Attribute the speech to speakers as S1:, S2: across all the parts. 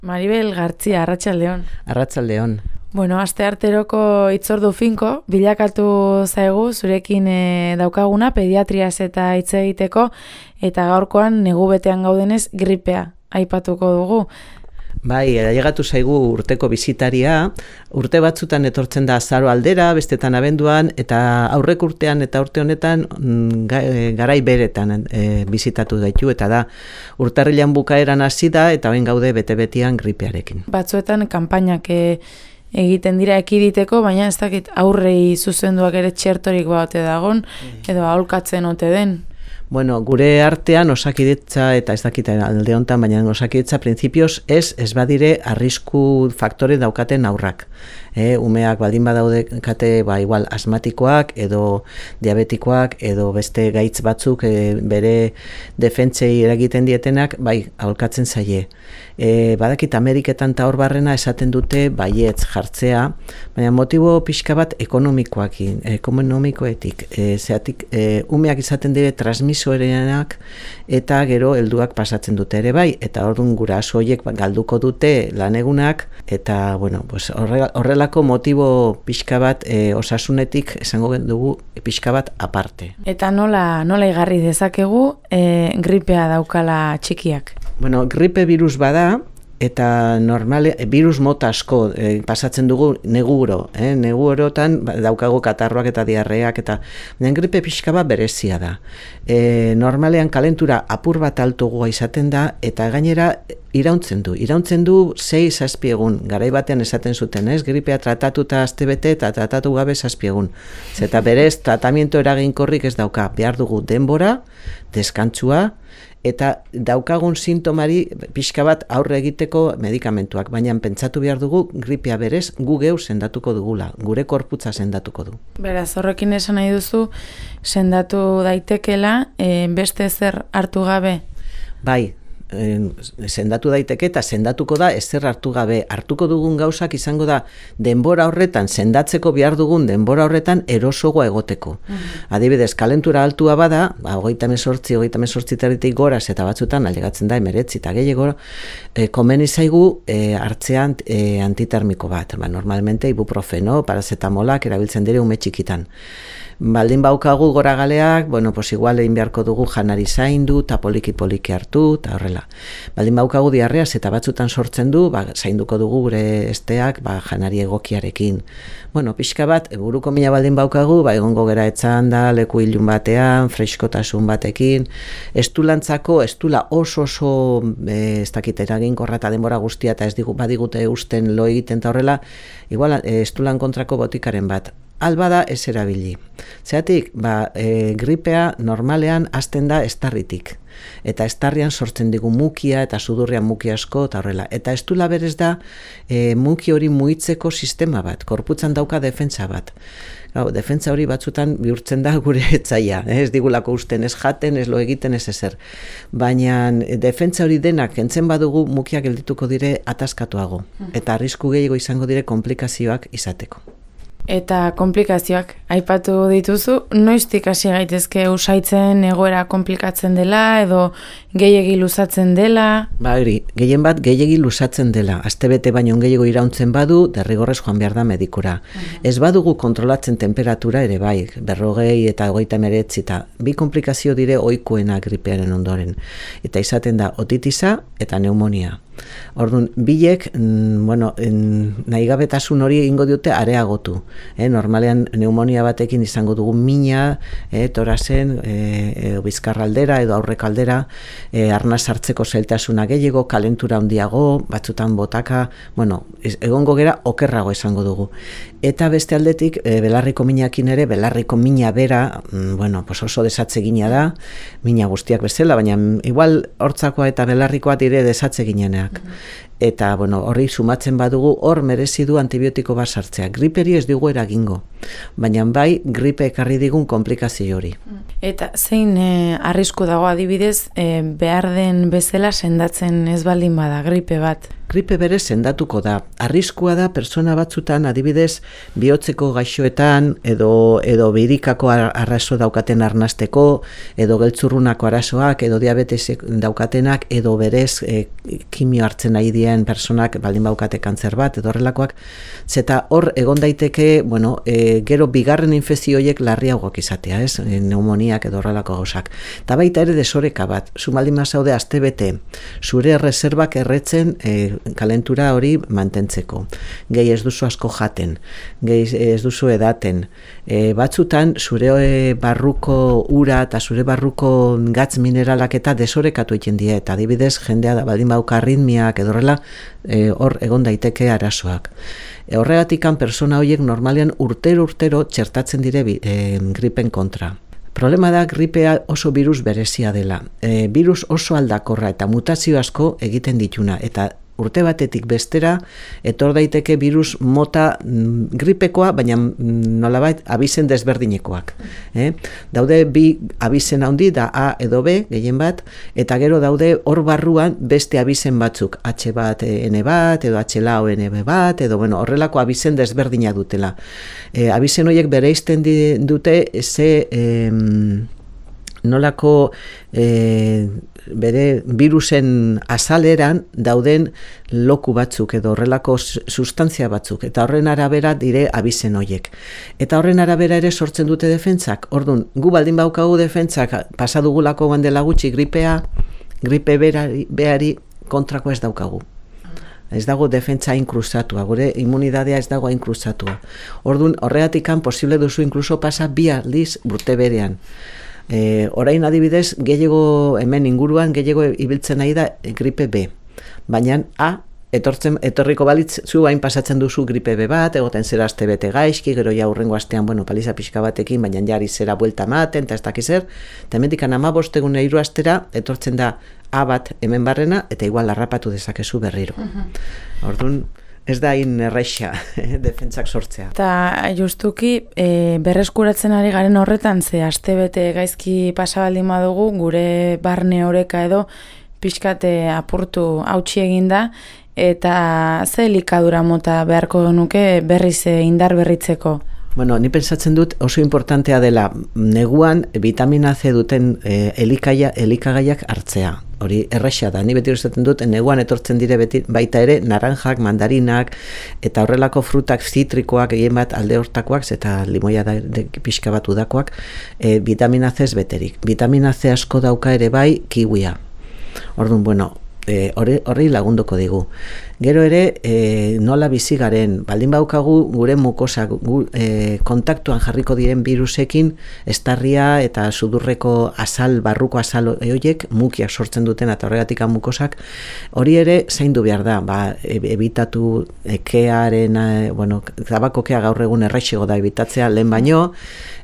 S1: Maribel Gartzia, arratsaldeon.
S2: Arratsaldeon.
S1: Bueno, astearteroko hitzordu finko, bilakatu zaigu zurekin daukaguna pediatriaz eta hitz egiteko, eta gaurkoan negu betean gaudenez gripea aipatuko dugu.
S2: Bai, ailegatu zaigu urteko bisitaria, urte batzutan etortzen da azaro aldera, bestetan abenduan, eta aurrek urtean eta urte honetan garai beretan bisitatu gaitu, eta da urtarrilan bukaeran hasi da, eta ben gaude bete-betian gripearekin.
S1: Batzuetan kanpainak egiten dira ekiditeko, baina ez dakit aurrei zuzenduak ere txertorik baute dagon, edo aholkatzen ote den.
S2: Bueno, gure artean Osakidetza eta ez dakit alde hontan, baina Osakidetza printzipioz ez badire arrisku faktore daukaten aurrak. Umeak baldin badaude kate igual asmatikoak edo diabetikoak edo beste gaitz batzuk bere defentsei eragiten dietenak, aholkatzen zaie. Badakit Ameriketan eta hor barrena esaten dute baietz jartzea, baina motibo pixka bat ekonomikoetik. Zeatik umeak izaten dire transmisorenak eta gero helduak pasatzen dute ere bai, eta orduan guraso horiek galduko dute lanegunak, eta bueno, pues horrelako motibo pixka bat osasunetik esango dugu pixka bat aparte.
S1: Eta nola igarri dezakegu gripea daukala txikiak?
S2: Bueno, gripe virus bada, eta normale, virus mota asko pasatzen dugu neguro. Negurotan daukagu katarroak eta diarreak, eta gripe pixka bat berezia da. Normalean kalentura apur bat altugoa izaten da, eta gainera irauntzen du 6-7 egun, garai batean esaten zuten, gripea tratatuta astebete eta tratatu gabe 7 egun. Eta berez, tratamiento eraginkorrik ez dauka, behar dugu denbora, deskantzua, eta daukagun sintomari pixka bat aurre egiteko medikamentuak, baina pentsatu behar dugu gripea berez gu geu sendatuko dugula, gure korputza sendatuko du.
S1: Beraz, horrekin esan nahi duzu, sendatu daitekela, beste zer hartu gabe?
S2: Bai, sendatu daiteke eta sendatuko da ezer hartu gabe. Hartuko dugun gauzak izango da denbora horretan, sendatzeko behar dugun denbora horretan erosogoa egoteko. Adibidez, kalentura altua bada, 38 goraz eta batzutan ailegatzen da 19 eta gehiago, komeni zaigu hartzean antitermiko bat. Normalmente ibuprofeno, paracetamolak erabiltzen dire ume txikitan. Baldin baukagu goragaleak, igual egin beharko dugu janari zaindu, eta poliki-poliki hartu, eta horrela. Baldin baukagu diarreaz eta batzutan sortzen du, zainduko dugu gure esteak janari egokiarekin. Pixka bat, buruko mina baldin baukagu, egongo gera etzan da, leku ilun batean, freskotasun batekin, estulantzako, estula oso ez dakit eraginkorra eta denbora guztia, eta ez badigute usten lo egiten eta horrela, igual estulan kontrako botikaren bat. Albada ez erabili. Zeatik, gripea normalean hasten da estarritik. Eta estarrian sortzen digu mukia eta sudurrian muki asko eta horrela. Eta estula berez da muki hori muitzeko sistema bat, korputzan dauka defentsa bat. Defentsa hori batzutan bihurtzen da gure etzaia, ez digulako usten, ez jaten, ez lo egiten, ez ezer. Baina defentsa hori denak kentzen badugu mukiak geldituko dire ataskatuago. Eta arrisku gehiago izango dire komplikazioak izateko.
S1: Eta komplikazioak aipatu dituzu, noiztik hasi gaitezke usaitzen egoera komplikatzen dela edo gehiegi luzatzen dela?
S2: Gehien bat gehiegi luzatzen dela. Astebete baino gehiago irauntzen badu, derrigorrez joan behar da medikura. Ez badugu kontrolatzen temperatura ere bai, 40 eta 39 eta bi komplikazio dire ohikoena gripearen ondoren. Eta izaten da otitisa eta pneumonia. Orduan, bilek, nahigabetasun hori egingo diote areagotu. Normalean, pneumonia batekin izango dugu mina, torazen, bizkarraldera edo aurrekaldera, arnaz hartzeko zailtasuna gehiago, kalentura handiago, batzutan botaka, egongo gera okerrago izango dugu. Eta beste aldetik, belarriko minakin ere, belarriko mina bera, oso desatzegina da, mina guztiak bezala, baina igual hortzakoa eta belarrikoa dire desatzeginenak. Eta horri sumatzen badugu, hor merezi du antibiotiko bat sartzea. Griperi ez dugu eragingo, baina bai gripe ekarri digun komplikazio hori.
S1: Eta zein arrisku dago adibidez, behar den bezala sendatzen ez baldin bada gripe bat?
S2: gripe bere sendatuko da. Arriskua da pertsona batzutan, adibidez, bihotzeko gaixoetan, edo birikako arazo daukaten arnasteko, edo geltzurrunako arazoak, edo diabetesek daukatenak, edo berez kimio hartzen nahi dien personak baldin baukate kantzer bat, edo horrelakoak, zeta hor egon daiteke, gero bigarren infekzioiek larriagoak izatea, ez? Pneumoniak edo horrelako gauzak. Eta baita ere desoreka bat, zu baldin bazaude astebete, zure reservak erretzen kalentura hori mantentzeko. Gehi ez duzu asko jaten, gehi ez duzu edaten, batzutan zure barruko ura eta zure barruko gatz mineralak eta desorekatu egiten die, eta adibidez jendea da baldin bauka arritmiak edo horrela, hor egon daiteke arazoak. Horregatikan persona horiek normalean urtero txertatzen dire gripen kontra. Problema da gripea oso virus berezia dela. Virus oso aldakorra eta mutazio asko egiten dituna, eta urte batetik bestera etor daiteke virus mota gripekoa, baina nolabait abizen desberdinekoak. Daude bi abizen handi da A edo B, gehien bat, eta gero daude hor barruan beste abizen batzuk, H bat, N bat, edo H lau, N bat, edo horrelako abizen desberdina dutela. Abizen horiek bereizten dute nolako bere virusen azaleran dauden loku batzuk edo horrelako sustantzia batzuk, eta horren arabera dire abizen horiek. Eta horren arabera ere sortzen dute defentsak. Orduan, gu baldin baukagu defentsak pasadugulako bandela gutxi gripe beari kontrako ez daukagu. Ez dago defentsa inkrustatua, gure immunidadea ez dago inkrustatua. Orduan, horregatikan posible duzu inkluso pasa 2 aldiz urte berean. Orain adibidez, gehiago hemen inguruan, gehiago ibiltzen nahi da gripe B. Baina etorriko balitz, zu hain pasatzen duzu gripe B bat, egoten zera aste bete gaizki, gero ja hurrengo astean, paliza pixka batekin, baina jari zera buelta ematen, eta ez dakizer, eta hemendikan 15 egun 3 astera, etortzen da A bat hemen barrena, eta igual larrapatu dezakezu berriro. Orduan, ez da hain erraixa defentsak sortzea.
S1: Eta justuki berreskuratzen ari garen horretan, ze astebete gaizki pasabaldin badugu, gure barne oreka edo pixkate apurtu hautsi eginda, eta ze elikadura mota beharko nuke berriz indar berritzeko?
S2: Ni pentsatzen dut oso importantea dela neguan vitamina C duten elikagaiak hartzea. Hori erraxa da, ni beti esaten dut, neguan etortzen dire baita ere naranjak, mandarinak, eta horrelako frutak zitrikoak, egin bat alde hortakoak, eta limoia da pixka bat udakoak, vitamina C ez beterik. Vitamina C asko dauka ere bai kiwia. Orduan, horri lagunduko digu. Gero ere, nola bizi garen, baldin baukagu gure mukosa kontaktuan jarriko diren virusekin, estarria eta sudurreko barruko azal horiek mukiak sortzen duten eta horregatik mukosak, hori ere zaindu behar da, ebitatu kearen, tabakokea gaur egun erraixego da ebitatzea lehen baino,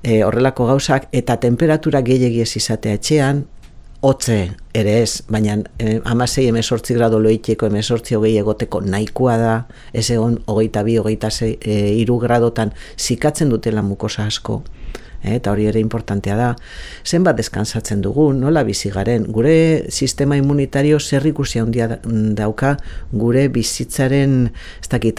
S2: horrelako gauzak, eta temperatura gehiegi ez izatea etxean, hotze ere ez, baina 16-18 grado loiteko 18-20 egoteko nahikoa da, ez egon 22-23 gradotan zikatzen dutela mukosa asko. Eta hori ere importantea da. Zenbat deskansatzen dugu, nola bizi garen, gure sistema immunitario zer ikusi handia dauka gure bizitzaren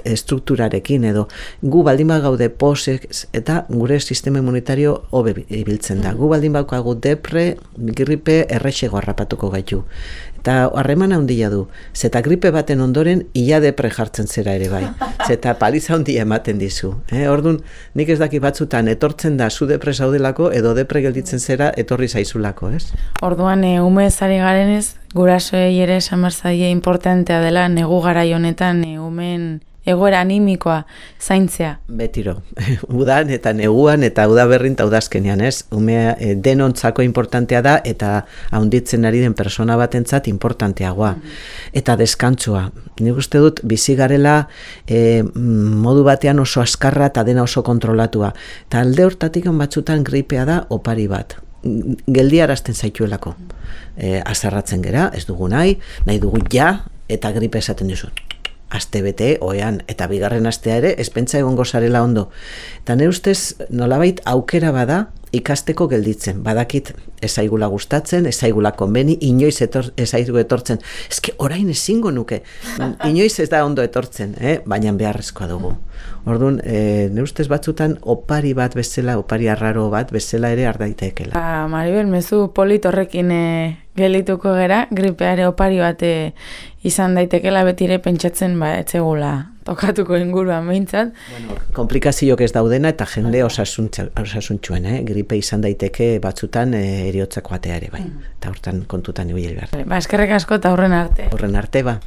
S2: estrukturarekin edo gu baldin gaude posek eta gure sistema immunitario hobe ibiltzen da. Gu baldin baukagu depre, gripe errexego harrapatuko gaitu. Eta harreman handia du, zeta gripe baten ondoren ia depre jartzen zera ere bai. Zeta paliza handia ematen dizu. Orduan, nik ez daki batzutan etortzen da zu depre zaudelako edo depre gelditzen zera etorri zaizulako, ez?
S1: Orduan, ume ezari garenez, gurasoei ere samarzaie importantea dela negu garai honetan umeen egoera animikoa zaintzea.
S2: Betiro, udan eta neguan eta udaberrin eta udazkenean, ez? Umea denontzako importantea da eta haunditzen ari den persona batentzat importanteagoa. Eta deskantzua. Nik uste dut bizi garela modu batean oso askarra eta dena oso kontrolatua. Eta alde hortatik batzutan gripea da opari bat. Geldiarazten zaituelako. Azarratzen gera, ez dugu nahi dugu ja, eta gripe esaten duzu. Aste bete, oean, eta bigarren astea ere, ez pentsa egongo zarela ondo. Eta nire ustez, nolabait aukera bada, ikasteko gelditzen. Badakit ezaigula gustatzen, ezaigula konbeni, inoiz ezaigu etortzen. Eske orain ezingo nuke. Inoiz ez da ondo etortzen, baina beharrezkoa dugu. Orduan, ne ustez batzutan opari bat bezala, opari arraro bat bezala ere ardaitekela.
S1: Maribel, mezu polit horrekin gelituko gera, gripeare opari bat izan daitekela betire pentsatzen etzegula tokatuko inguruan behintzat.
S2: Bueno, komplikazioak ez daudena eta jende osasuntxuen, gripe izan daiteke batzutan eriotzako atea ere, bai. Eta hortan kontutan ibili behar.
S1: Eskerrik asko eta horren arte.
S2: Horren arte, ba.